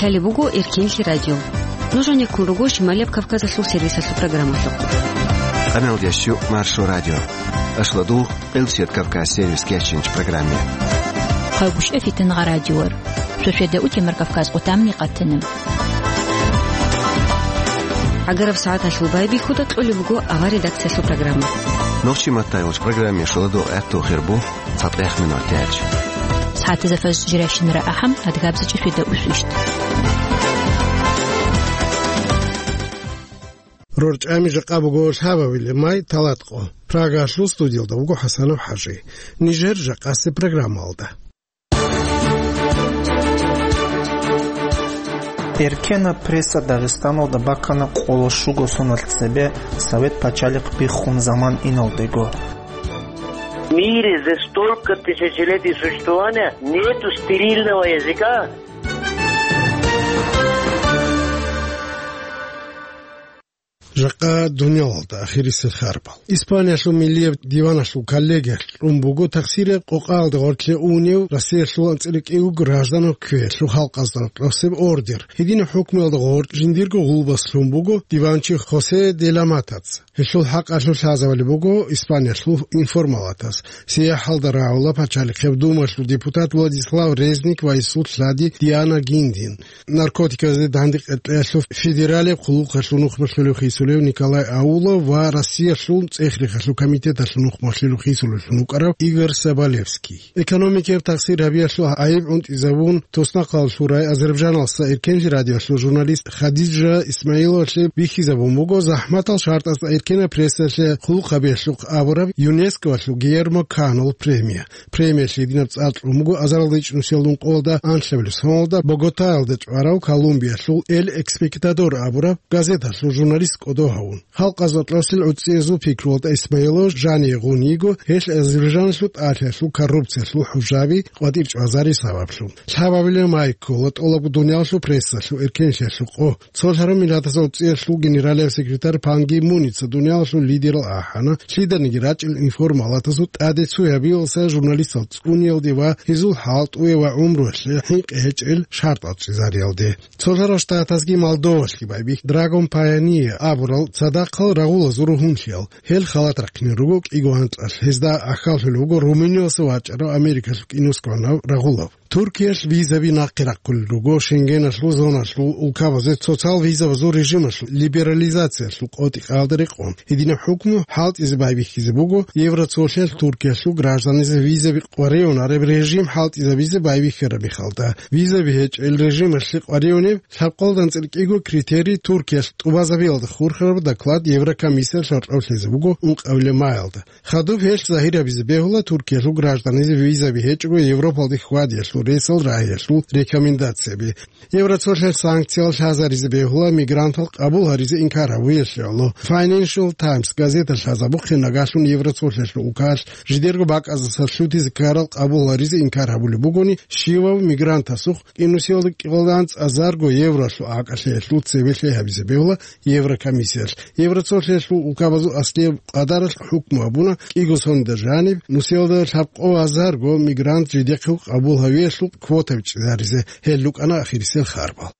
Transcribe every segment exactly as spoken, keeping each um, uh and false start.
Лъалеб буго Эркенлъи радио. Нуж гьанеккун руго Шималияб Кавказалъул сервисалъул программалъухъ. Къаналдящу Маршо радио. Ашладу Къилчет Кавказ сервис кечинч программе. Хъагушев Фитнагъа радиор. Шошеда утемар Кавказ къутамни къатана. ГӀагараб сагӀаталъул байбихьуда кьолеб буго авар редакциялъул программа. Нохчи маттайгъуч программе шоладу гӀатту хирбу. ЦатӀехъ минуталъ. СагӀатазда фажр жирайщинара ахӀам, адгабзачӀи фида усвищ. РорчӀами жакъа буго лъабабилеб май, талатӀкъо. Прагалъул студиялда вуго ХӀасанов ХӀажи. Нижер жакъасеб программалда. Эркенаб пресса Дагъистаналда бакана къоло щуго соналъ цебе, Совет пачалихъ биххун заман иналдего. В мире за столько тысячелетий существования нету стерильного языка. Жакъа дуниялалда ахирисел харбал. Испаниялъул миллияб диваналъул коллегиялъ кьун буго тахсираб къокъаялда гъоркье унев Россиялъул анцӀила кӀиго гражданав кквеялъул халкъазда рокьосеб ордер. Гьединаб хӀукмуялда гъоркь жиндирго гъулбас лъун буго диванчи Хосе де ла Матаца. Гьелъул хӀакъалъулъ лъазабулеб буго Испаниялъул информалатас. СияхӀалда рагӀула пачалихъеб думалъул депутат Владислав Резник ва гьесул лъади Диана Гиндин. Наркотиказде дандекъеялъул федералияб хъулухъалъул нухмалъулев хисулев Николай Аулов ва Россиялъул цӀех-рехалъул комитеталъул нухмалъулев хисулевлъун вукӀарав Игорь Соболевский. Экономикияб тахсир гьабиялъул гӀайиб гӀунтӀизабун, туснахъалъул рай Азербайджаналъа Эркенлъи радиоялъул журналист Хадижа Исмаиловалъе бихьизабун буго, захӀматал шартӀазда эркенаб прессалъе хъулухъ гьабиялъухъ абураб ЮНЕСКОялъул Гийермо Канол премия. Премиялъ гьединаб цӀар кьун буго азарилда ичӀнусиялда ункъоялда анлъабилеб соналда Боготаялда чӀварав Колумбиялъул Эль Экспектадор абураб газеталъул журналист кӀодо гьавун. Халкъазда рокьосел гӀуцӀиязул пикруялда Исмаилов жаниве гъун йиго, гьелъ Азербайджаналъул тӀалъиялъул коррупциялъул хӀужаби къватӀир чӀвазари сабаблъун. Лъабабилеб май ккола тӀолабго дуниялалъул прессалъул эркенлъиялъул къо. Цолъараб Миллатасул ГӀуцӀиялъул генералияб секретарь Пан Ги Муница дуниялалъул лидерал ахӀана, лъиданиги рачӀел информалатазул тӀаде цо гьабиялдаса журналистал цӀуниялде ва гьезул хӀалтӀуе ва гӀумруялъе хӀинкъи гьечӀел шартӀал чӀезариялде. Цолъарал Штатазги Молдовалъги байбихь Драгон Пайония абурал цадахъал рагъулазул ругьунлъиял. Гьел халат рахъине руго кӀиго анкьалъ, гьезда ахьаллъулеб буго Румыниялъа вачӀарав Америкалъул киносгӀанав рагъулав. Туркиялъ визаби нахъе рахъулел руго Шенгеналъул зоналъул улкабазе цоцал визабазул режималъул либерализациялъул къотӀи-къаялда рекъон. Гьединаб хӀукму хӀалтӀизе байбихьизе буго Евроцолъиялъ Туркиялъул гражданизе визаби къваригӀунареб режим хӀалтӀизабизе байбихьараб мехалда. Визаби гьечӀел режималъе къваригӀунеб лъабкъоялда анцӀила кӀиго критерий Туркиялъ тӀубазабиялда хурхараб доклад Еврокомиссиялъ гьоркьов лъезе буго ункъабилеб маялда. Хадуб гьелъ загьир гьабизе бегьула Туркиялъул гражданизе визаби гьечӀого Европалде хьвадиялъул ресал рагьиялъул рекомендацияби. Евроцолъиялъ санкциял лъазаризе бегьула мигрантал къабул гьаризе инкар гьабуялъе гӀоло. Financial Times газета лъазабухъе нагагьлъун Евроцолъиялъул улкалъ жидерго бакӀаздаса лъутизе ккарал къабул гьаризе инкар гьабулеб бугони, щивав мигрантасухъ кӀинусиялда кӀикъоялда анцӀазарго евролъул акӀалъиялъул цебе лъай гьабизе бегьула Еврокомиссиялъ. Евроцолъиялъул улкабазул аслияб къадаралъ хӀукму гьабуна кӀиго соналда жаниб нусиялда лъабкъо азарго мигрант жидехъе къабул гьавиялъул квота бичӀчӀизаризе. Гьел рукӀана ахирисел харбал.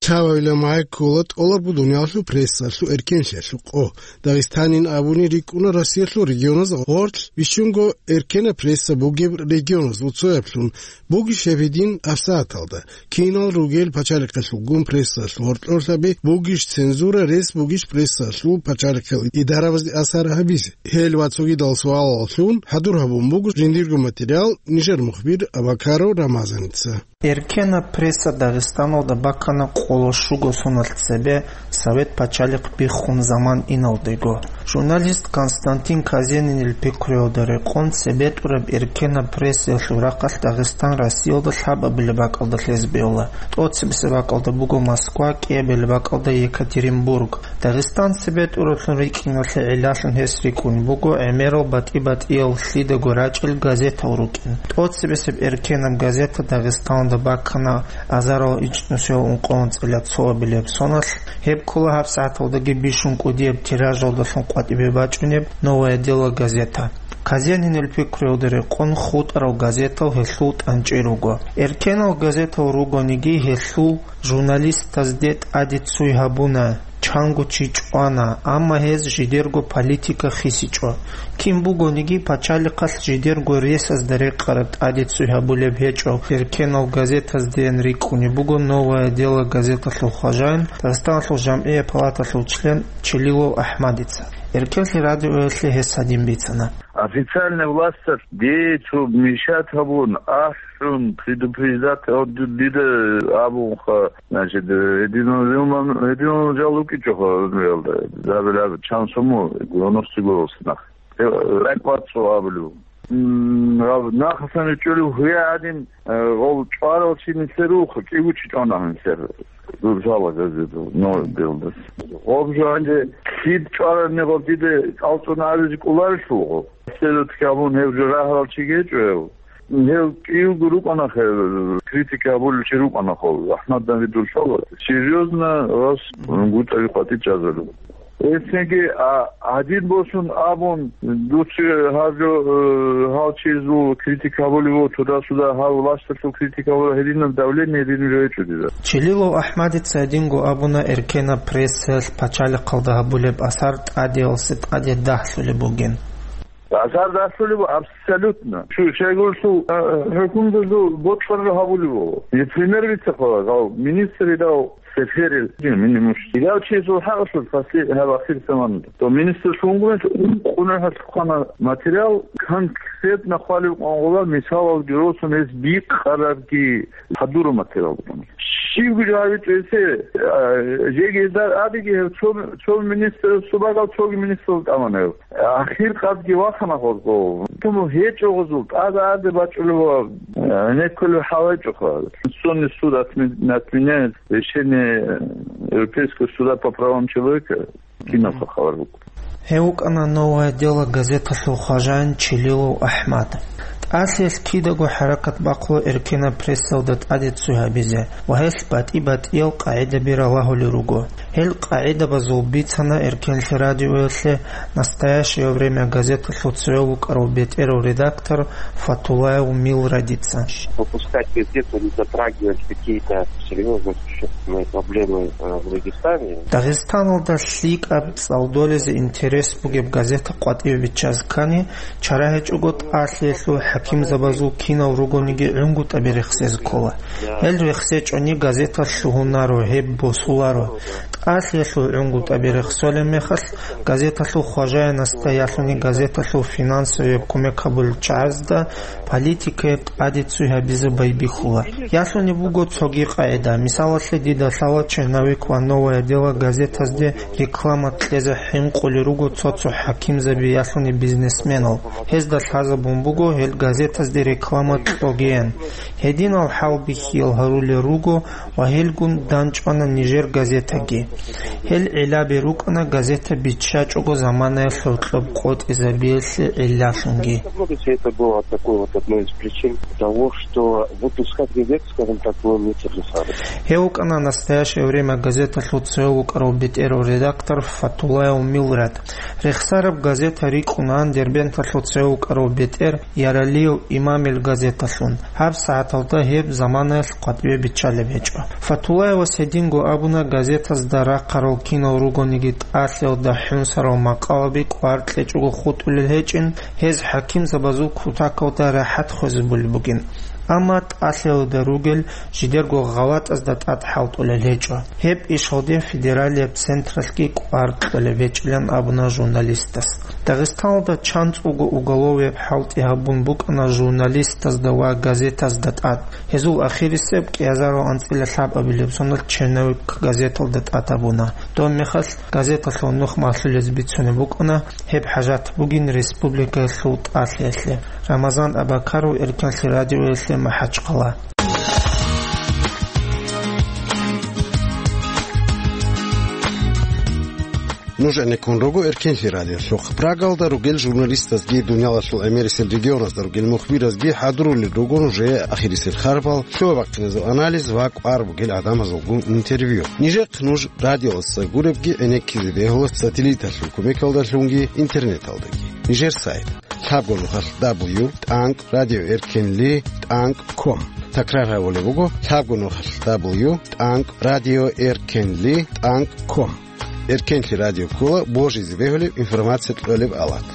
Лъабабилеб май ккола тӀолабго дуниялалъул прессалъул эркенлъиялъул къо. Дагъистанин абуни рикӀкӀуна Россиялъул регионаз гъорлъ бищунго эркенаб пресса бугеб регионазул цояблъун, бугищ гьеб гьедин гьабсагӀаталда. Кинал ругел пачалихъалъулгун прессалъул гьоркьорлъаби, бугищ цензура, рес бугищ прессалъул пачалихъал идарабазде асар гьабизе? Гьел ва цогидал суалаллъун хӀадур гьабун буго жиндирго материал нижер мухбир Абакаров Рамазаница. Эркенаб пресса Дагъистаналда бакана къоло щуго соналъ цебе, Совет пачалихъ биххун заман иналдего. Журналист Константин Казенинил пикруялда рекъон, цебетӀураб эркенаб прессаялъул рахъалъ Дагъистан Россиялда лъабабилеб бакӀалда лъезе бегьула. ТӀоцебесеб бакӀалда буго Москва, кӀиабилеб бакӀалда Екатеринбург. Дагъистан цебетӀураблъун рикӀкӀиналъе гӀиллалъун гьес рикӀкӀун буго гӀемерал батӀи-батӀиял лъидаго рачӀел газетал рукӀин. ТӀоцебесеб эркенаб газета Дагъистаналда баккана азарал ичӀнусиял ункъоялда цо абилеб соналъ. Гьеб ккола гьабсагӀаталдаги бищун кӀудияб тиражалдалъун къватӀибе бачӀунеб «Новое дело» газета. Казенинил пикруялда рекъон хутӀарал газетал гьелъул тӀанчӀи руго. Эркенал газетал ругониги гьелъул журналистазде тӀаде ццуй гьабуна, чанго чи чӀвана, амма гьез жидерго политика хисичӀо. Кин бугониги, пачалихъалъ жидерго ресазда рекъараб тӀаде ццуй гьабулеб гьечӀо эркенал газетаздеян рикӀкӀунеб буго «Новое дело» газеталъул хважаин, Дагъистаналъул жамгӀияб палаталъул член Челилов АхӀмадица. Эркенлъи радиоялъе гьес гьадин бицана. Официальная власть дей цо мешать гьабун, ахӀун, предупреждать гьабун, дида абунха, значит, гьединал, гьединал жал вукӀичӀоха гьунриялда, забилаб чан суму, гугьунухъ цӀигорулса нах. Э, ракӀбацӀцӀул абулев. М, гьаб нахасан ричӀчӀулев гьуя гӀадин, э, гъов чӀварал чи нилъер рухъ, кӀиго чи чӀвана гьансер. Рузала газетал, но белдас. Гъоб жо гьанже лъид чӀвараб мегъаб дида цӀалцӀун абизе кӀоларелъул гъоб. Седат кабун гьев жо рагьарал чи гьечӀо гьев. Гьев кӀиявго рукӀана хе, критика гьабулев чи рукӀана хо, АхӀмад Давидул шала. Серьёзно вас гутӀави къватӀи чӀезару. Эсенги, а, гьадин босун абун, дуца гьаб жо, э, гьал чизул критика гьабулев, туда-суда гьав власталъул критика гьабулев, гьединаб давление гьедин жо гьечӀо дида. Челилов АхӀмадица гьадинго абуна эркенаб прессаялъ пачалихъалда гьабулеб асар тӀадеялъе тӀаде дагьлъулеб бугин. Асар дагьлъулеб абсолютно. Шу-, щайгурелъул, а, хӀукумдазул бокьараб гьабулеб буго. Например, вицахъала гьав министр гьав Сеферил, мини муш. Гьав чиясул хӀакъалъулъ фаси-, гьаб ахир заман. То министр шунгумен ункъуна хӀалхъана материал, конкретно хъвалев къвангъула мисалалги росун гьез бикъарабги хадура материал букӀана. Щивги жо гьавичӀо гьесе, а, жеги гьезда абиги гьев цо, цо министр субагал цоги министрал тӀамана гьев. Ахир къадги вахана гъозго. Туму гьечӀо гъозул, тӀада-аде бачӀулев ва, э, гьенеккулев хӀалайчӀоха. Конституционный суд отме-, отменяет решение Европейского суда по правам человека. Киналха хабар буго. Гьев вукӀана «Новое дело» газеталъул хважаин Челилов АхӀмад. ТӀалъиялъ кидаго хӀаракат бахъула эркенаб прессалда тӀаде ццуй гьабизе ва гьелъ батӀи-батӀиял къагӀидаби ралагьулел руго. Гьел къагӀидабазул бицана эркенлъи радиоялъе «Настоящее время» газеталъул цеве вукӀарав бетӀерав редактор Фатулаев Милрадица. Выпускать газету, не затрагивать какие-то серьёзные существенные проблемы, э, в Дагестане. Дагъистаналда лъикӀаб цӀалдолезе интерес бугеб газета къватӀиве биччаз ккани, чара гьечӀого тӀалъиялъул хӀакимзабазул кинал ругониги гӀунгутӀаби рехсез ккола. Гьел рехсечӀони газета лъугьунаро, гьеб босуларо. ТӀалъиялъул гӀунгутӀаби рехсолеб мехалъ, газеталъул хважаинасда ялъуни газеталъул финансовияб кумек гьабулел чагӀазда политикаяб тӀаде ццуй гьабизе байбихьула. Ялъуни буго цоги къагӀида. Мисалалъе, дида лъала «Черновик» ва «Новое дело» газетазде реклама кьезе хӀинкъулел руго цо-цо хӀакимзаби ялъуни бизнесменал. Гьезда лъазабун буго гьел газетазде реклама кьогеян. Гьединал хӀалбихьиял гьарулел руго ва гьелгун данчӀвана нижер газетаги. Гьел гӀиллаби рукӀана газета биччачӀого заманаялъ гьоркьоб къотӀизабиялъе гӀиллалъунги. Все это было такой вот одной из причин того, что выпускать газету, скажем так, было нецелесообразно. Гьев вукӀана «Настоящее время» газеталъул цеве вукӀарав бетӀерав редактор Фатулаев Милрад. Рехсараб газета рикӀкӀунаан Дербенталъул цеве вукӀарав бетӀер Яралиев Имамил газеталъун. ГьабсагӀаталда гьеб заманаялъ къватӀиве биччалеб гьечӀо. Фатулаевас гьединго абуна, газетазда рахъарал кинал ругониги тӀалъиялда хӀунсарал макъалаби кӀвар кьечӀого хутӀулел гьечӀин, гьез хӀакимзабазул кутакалда рахӀат хвезабулеб бугин. Амма тӀалъиялда ругел жидерго гъалатӀазда тӀад хӀалтӀулел гьечӀо. Гьеб ишалде федералияб централъги кӀвар кьолеб гьечӀилан абуна журналистас. Дагъистаналда чанцӀулго уголовияб хӀалтӀи гьабун букӀана журналистазда ва газетазда тӀад. Гьезул ахирисеб кӀиазарал анцӀила лъабабилеб соналъ «Черновик» газеталда тӀад гьабуна. Доб мехалъ газеталъул нух малъулез бицунеб букӀана, гьеб хӀажат бугин республикаялъул тӀалъиялъе. Рамазан Абакаров, Эркенлъи радиоялъе, МахӀачхъала. Нуж гӀенеккун руго Эркенлъи радиолъухъ. Прагалда ругел журналистазги, дуниялалъул гӀемерисел регионазда ругел мухбиразги хӀадурулел руго нужее ахирисел харбал, лъугьа-бахъиназул анализ ва кӀвар бугел гӀадамазулгун интервью. Нижехъ нуж радиоялдаса гуребги гӀенеккизе бегьула сателлиталъул кумекалдалъунги интернеталдаги. Нижер сайт: лъабго нухалъ дабл ю тӀанкӀ радио эркенли тӀанкӀ ком. Такрар гьабулеб буго: лъабго нухалъ дабл ю тӀанкӀ радио эркенли тӀанкӀ ком. Эркенлъи радио ккола божизе бегьулеб информация кьолеб алат.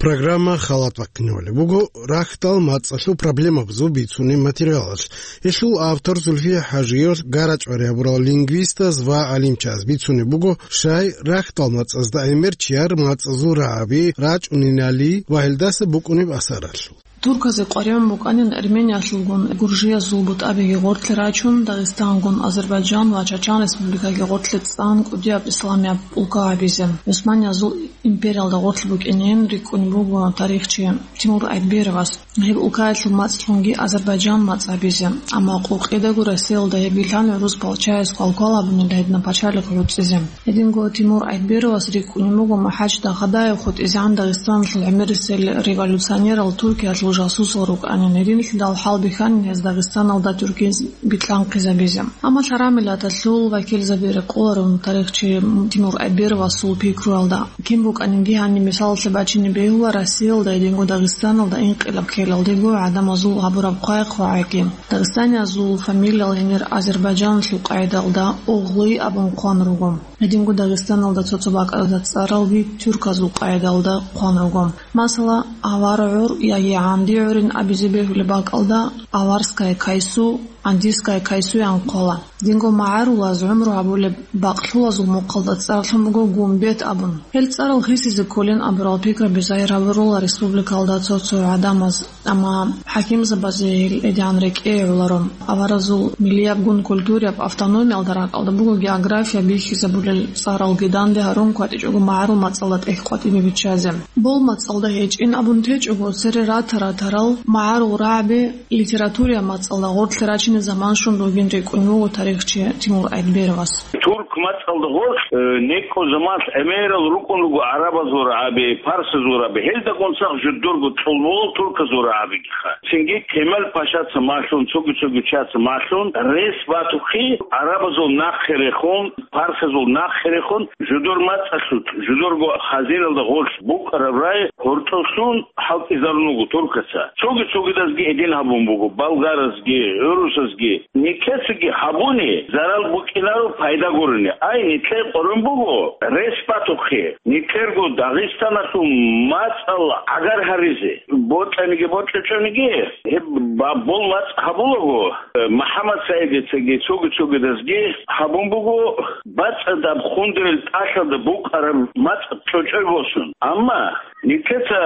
Программа халат бахъинавулеб буго рахьдал мацӀалъул проблемабазул бицунеб материалалъ. Гьелъул автор Зульфия ХӀажиевал гара-чӀвари гьабурал лингвистаз ва гӀалимчияз бицунеб буго щай рахьдал мацӀазда гӀемер чияр мацӀазул рагӀаби рачӀунинали ва гьелдаса букӀунеб асаралъул. Турказе къваригӀун букӀанин Армениялъулгун гуржиязул бутӀабиги гъорлъе рачун, Дагъистангун, Азербайджан ва Чачан республикаги гъорлъе цӀан кӀудияб исламияб улка гьабизе. ГӀусманиязул империялда гъорлъ букӀинин рикӀкӀунеб буго тарихчи Тимур Айтберовас гьеб улкаялъул мацӀлъунги Азербайджан мацӀ гьабизе, амма къукъидаго Россиялда гьеб вилълъан гӀурус палчаяс квалквал гьабунила гьедина пачалихъ гӀуцӀизе. Гьединго Тимур Айтберовас рикӀкӀунеб буго МухӀаж Дахадаев хутӀизегӀан Дагъистаналъул гӀемерисел революционерал Туркиялъул жасусал рукӀанин, гьединлъидал хӀалбихьанин гьез Дагъистаналда тюркиз битлъанхъизабизе. Амма лъарамилаталъул вакилзаби рекъоларун тарихчи Тимур Айтберовасул пикруялда. Кин букӀанинги гьаниб мисалалъе бачине бегьула Россиялда гьединго Дагъистаналда инкъилаб ккелалдего гӀадамазул гьабураб хъвай-хъвагӀайги. Дагъистаниязул фамилиял гьенир Азербайджаналъул къайдалда Огълуй абун хъван руго. Гьединго Дагъистаналда цо-цо бакӀалда цӀаралги тюрказул къайдалда хъван руго. Масала, авара гӀур яги гӀанди гӀурин абизе бегьулеб бакӀалда аварская кайсу, андийская кайсуян хъвала. Динго магӀарулаз гӀумру гьабулеб бакълъулазул мухъалда цӀарлъун буго гумбет абун. Гьел цӀарал хисизе кколин абурал пикраби загьир гьабурула республикалда цо-цо гӀадамаз, амма хӀакимзабазе гьел гьедигӀан рекӀее гӀоларо. Аваразул миллиябгун культурияб автономиялда ракӀалда буго география бихьизабулел цӀаралги данде гьарун кватӀичӀого магӀарул мацӀалда тӀехь къватӀибе биччазе. Бол мацӀалда гьечӀин абун течӀого, цере рата-ратарал магӀарул рагӀаби литературия мацӀалда гъорлъе рачине заман щун ругин рикӀкӀун вуго тарихчи Тимур Айтберовас. Турк мацӀалда гъорлъ, э, некӀо заман гӀемерал рукӀун руго гӀарабазул рагӀаби, парсазул рагӀаби, гьелдагун сах жудурго чӀолболал турказул рагӀабигиха. Цинги Кемал Пашаца малъун, цоги-цоги чияца малъун, рес батухъе, гӀарабазул нахъе рехун, парсазул нахъе рехун, жудур мацӀалъулъ, жудурго хазиналда гъорлъ букӀараб рагӀи гьоркьослъун хӀалтӀизарун вуго туркаца. Цоги-цогидазги гьедин гьабун буго, болгарасги, гӀурусазги. Нилъецаги гьабуни зарал букӀинаро пайда гурони. Ай, нилъее къорон буго рес батухъе, нилъерго Дагъистаналъул мацӀал гӀагар гьаризе. Бокьаниги бокьичӀониги, гьеб ба-, бол мацӀ гьабулаго, э, МухӀаммад СагӀидицаги цоги-цогидазги гьабун буго бацӀцӀадаб хундерил тӀалъалда букӀараб мацӀ чӀочӀой босун. Амма нилъеца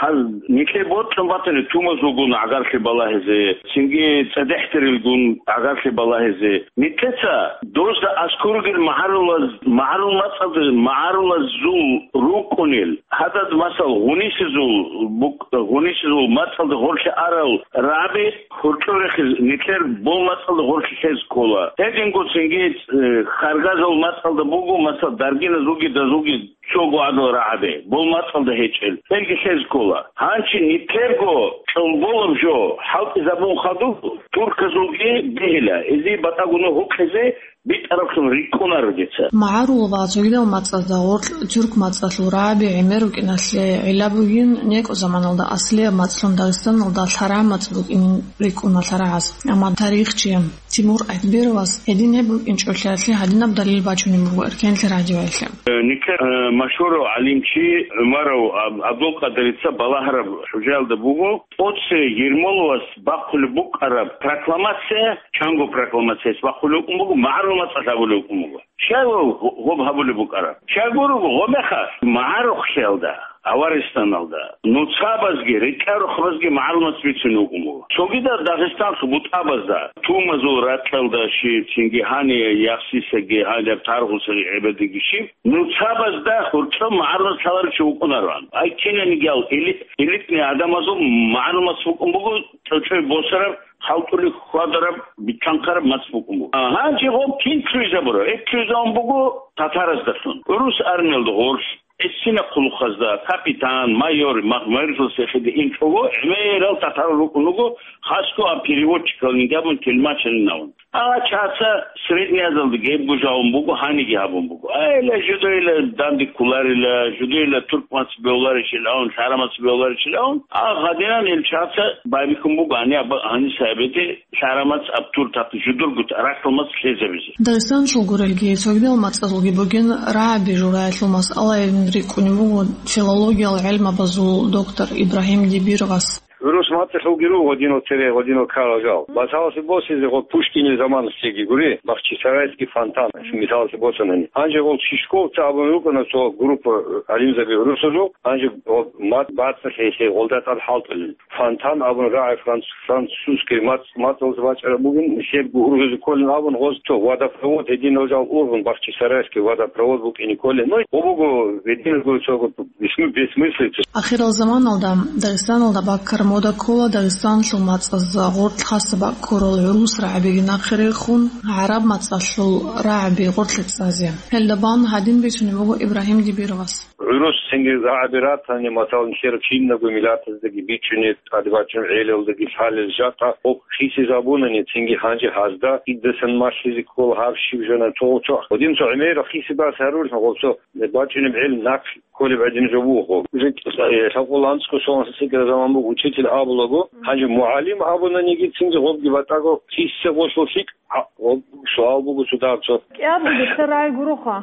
гьал-, нилъее бокьун батани тумазулгун гӀагарлъи балагьизе, цинги цӀадехӀдерилгун гӀагарлъи балагьизе. Нилъеца дозда аскӀор ругел магӀарулаз-, магӀарул мацӀалда, магӀарулазул рукӀунел, гьадад, масал, гъунисезул бук-, гъунисезул мацӀалда гъорлъе арал рагӀаби хуркьур рехиз нилъер бол мацӀалда гъорлъе лъез ккола. Гьединго цинги, э, харгазул мацӀалда буго, масал, даргиназулги дазулги цого гӀадал рагӀаби, бол мацӀалда гьечӀел, гьелги лъез ккола. Гьанчи нилъерго чӀолболаб жо хӀалтӀизабун хадуб, турказулги бегьила, гьезие батӀа гунагь гьукъизе битӀараблъун рикӀкӀунаро дица. МагӀарул ва цогидал мацӀазда гъорлъ тюрк мацӀалъул рагӀаби гӀемер рукӀиналъе гӀилла бугин, некӀо заманалда аслияб мацӀлъун Дагъистаналда лъарагӀ мацӀ букӀинин рикӀкӀуна лъарагӀаз. Амма тарихчи Тимур Айтберовас гьедин гьеб букӀинчӀолъиялъе гьадинаб далил бачунеб буго Эркенлъи радиоялъе. Э, нилъер, э, машгьурав гӀалимчи ГӀумаров Аб-, Абдулкъадирица балагьараб хӀужаялда буго, тӀоце Ермоловас бахъулеб букӀараб прокламация, чанго прокламацияс бахъулеб букӀун буго, магӀарул мацӀалъ гьабулеб букӀун буго. Щай гъо-, гъоб гьабулеб букӀараб? Щай гурого, гъомехалъ магӀарухълъиялда. Аваристаналда, нуцабазги, рекӀарухъабазги магӀарул мацӀ бицунев вукӀун буго. Цогидал Дагъистанлъул бутӀабазда, Тумазул ракьалда щиб, цинги гьаниб Яхсисаги, гьаниб Таргъусаги гӀебедиги щиб, нуцабазда гьоркьоб магӀарул мацӀ лъаларев чи вукӀунароан. Ай кинанигиял эли-, элитный гӀадамазул магӀарул мацӀ букӀун буго, чӀочӀой босараб, халтӀулеб хьвадараб, битӀанхъараб мацӀ букӀун буго. А, гьанже гъоб кин лъугӀизабура? Гьеб лъугӀизабун буго татараздалъун. ГӀурус армиялда гъорлъ, гӀисина хъулухъазда, капитан, майор, мах-, майорлъи сехиде инчӀого, гӀемерал татарал рукӀун руго, хасго а переводчикал гьабун, телмачанин гьавун. Гьагъа чаца Средняя Азиялда гьебго жавун буго, гьаниги гьабун буго. Айла, жидейла данде кколарила, жидейла турк мацӀ бегьуларищилан, лъара мацӀ бегьуларищилан, а гьадинан ил чаца байбихьун буго, гьани аб-, гьаниса абеде лъара мацӀ аб тур тахъи жидерго рахьул мацӀ лъезабизе. Дагъистаналъул гурелги, цогидал мацӀазулги бугин рагӀаби жураялъул масъалаялъун рикӀкӀунеб буго филологиял гӀелмабазул доктор Ибрагьим Дибиргъас. ГӀурус мацӀалъулги руго гьединал цере, гьединал ккарал жал. Масаласе босизе гъо Пушкинил заманалъеги гури, Бахчисарайский фонтан, мисаласе босанани. Гьанже гъол Чижковцы абун рукӀана цо группа гӀалимзаби гӀурусазул, гьанже гъо мацӀ бацӀцӀалъи гьелъие гъолда тӀад хӀалтӀулел. Фонтан абун рагӀи франц-, французский мацӀ-, мацӀалда бачӀараб бугин, нилъер ургъизе кколин абун гъоз цо водопровод гьединал жал ургъун, Бахчисарайский водопровод букӀине кколин. Ну, гъо буго гьединал гури цо бесмы-, бессмыслица. Ахирал заманалда Дагъистаналда баккараб мода ккола Дагъистаналъул мацӀаз гъоркь хасаб бакӀ ккурал гӀурус рагӀабиги нахъе рехун, гӀараб мацӀалъул рагӀаби гъоркье цӀазе. Гьелда бан гьадин бицунеб буго Ибрагьим Дибиргъас. ГӀурус цинги рагӀаби ратани, масалан, нилъер кинабго миллатаздаги бичӀчӀунеб, тӀаде бачӀунеб гӀелалдаги лъалел жакъа гъоб хисизабунани, цинги гьанже гьазда кӀидасан малъизе ккола гьаб щиб жана цо-, цо-, гьадин цо гӀемерал хисибас гьарулъ гъоб цо бачӀунеб гӀел нахъ кколеб гӀадин жо буго. Уже, э, лъабкъоялда анцӀго соналъ лъикӀаб заман буго, учитель абулаго, гьанже мугӀалим абунаниги цинги гъобги батӀаго хиссе гъолъул лъикӀ, а, гъоб суал буго цо дагьаб цо. КӀиябго нилъер рагӀи гуроха.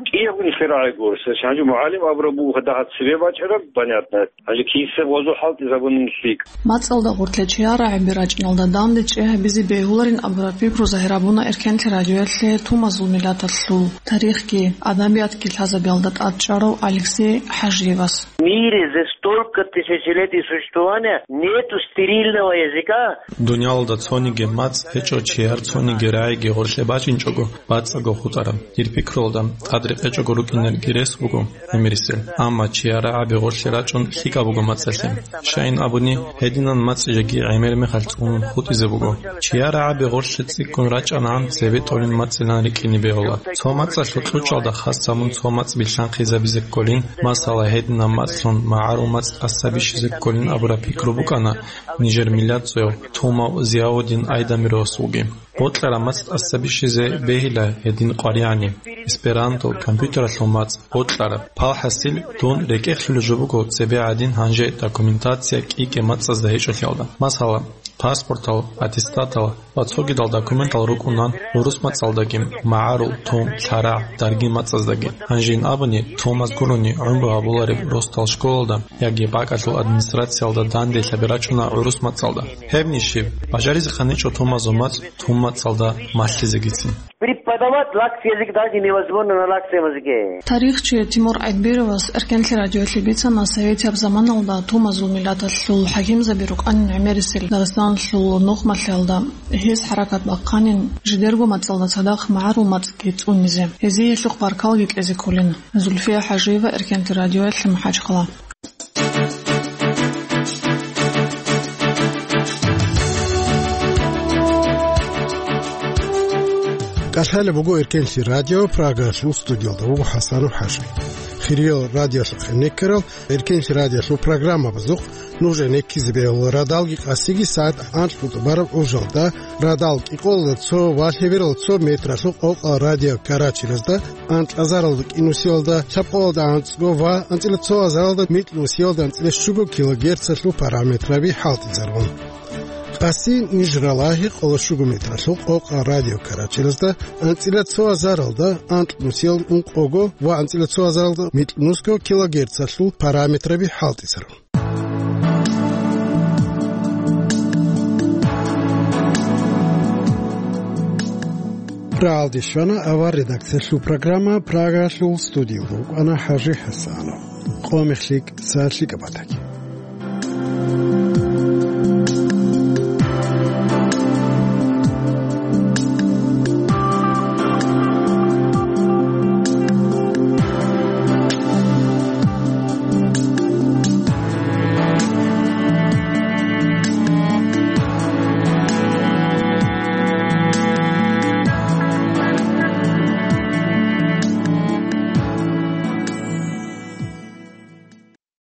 КӀиябго нилъер рагӀи гуро. Гьанже мугӀалим абураб буго дагьаб цебе бачӀараб, понятно. Гьанже киссе гъозул хӀалтӀизабунин лъикӀ. МацӀалда гъоркье чияр рагӀаби рачӀиналда данде чӀей гьабизе бегьуларин абураб пикру загьир гьабуна Эркенлъи радиоялъе тумазул миллаталъул тарихги, адабиятги лъазабиялда тӀадчӀварав Алексей ХӀажиевас. В мире за столько тысячелетий существования нету стерильного языка. Дуниялалда цониги мацӀ гьечӀо, чияр цониги рагӀиги гъоркье бачӀинчӀого, бацӀцӀаго хутӀараб. Дир пикруялда, тӀад рекъечӀого рукӀинарги рес буго гӀемерисел, амма чияр рагӀаби гъоркье рачӀун лъикӀаб буго мацӀалъе. Щайин абуни, гьединан мацӀ жеги гӀемер мехалъ цӀунун хутӀизе буго. Чияр рагӀаби гъоркье цӀикӀкӀун рачӀанагӀан цебе тӀолин мацӀилан рикӀкӀине бегьула. Цо мацӀалъул кьучӀалда хас гьабун цо мацӀ билълъанхъизабизе кколин, масала, гьединаб мацӀлъун магӀарул мацӀ тӀаса бищизе кколин абураб пикру букӀана нижер миллатзаяв Тумав Зияудин Айдамировасулги. Бокьараб мацӀ тӀаса бищизе бегьила гьедин къваригӀани, эсперанто, компьютералъул мацӀ, бокьараб. ПалхӀасил, дун рекӀехъ лъулеб жо буго цебе гӀадин гьанже документация кӀи-кӀи мацӀазда гьечӀолъиялда. Масала, паспортал, аттестатал ва цогидал документал рукӀунан гӀурус мацӀалдаги, магӀарул, тум, лъарагӀ, даргин мацӀаздаги. Гьанжин абуни, тумаз гурони гӀумру гьабулареб росдал школалда яги бакӀалъул администрациялда данделъаби рачӀуна гӀурус мацӀалда. Гьебни щиб, бажаризехъаничӀо тумазул мацӀ тум мацӀалда малъизегицин. Преподавать лакский язык даже невозможно на лакском языке. Тарихчи Тимур Айтбировас Эркенлъи радиоялъе бицана советияб заманалда тумазул миллаталъул хӀакимзаби рукӀанин гӀемерисел Дагъистаналъул нухмалъиялда гьез хӀаракат бахъанин жидерго мацӀалда цадахъ магӀарул мацӀги цӀунизе. Гьезие гьелъухъ баркалги кьезе кколин. Зульфия ХӀажиева, Эркенлъи радиоялъе, МахӀачхъала. КӀалъалеб буго Эркенлъи радио, Прагалъул студиялда вуго ХӀасанов ХӀажи. Хириял радиолъухъе неккарал Эркенлъи радиолъул программабазухъ нужее неккизе бегьула радалги къасиги сагӀат анкьго тӀубараб гӀужалда, радал кӀикъоялда цо ва лъебералда цо метралъул къокъал радио карачелазда, анкьазаралда кӀинусиялда, лъабкъоялда анцӀго ва анцӀила цо азаралда микьнусиялда анцӀила щуго килогерцалъул параметраби хӀалтӀизарун. Къаси ниж ралагьи къоло щуго метралъул къокъал радио карачелазда, анцӀила цо азаралда анкьнусиялда ункъого ва анцӀила цо азаралда микьнусго килогерцалъул параметраби хӀалтӀизарун. Рагьалде щвана авар редакциялъул программа, Прагалъул студиялда вукӀана ХӀажи ХӀасанов. Къо мех лъикӀ, сагӀат лъикӀаб батаги.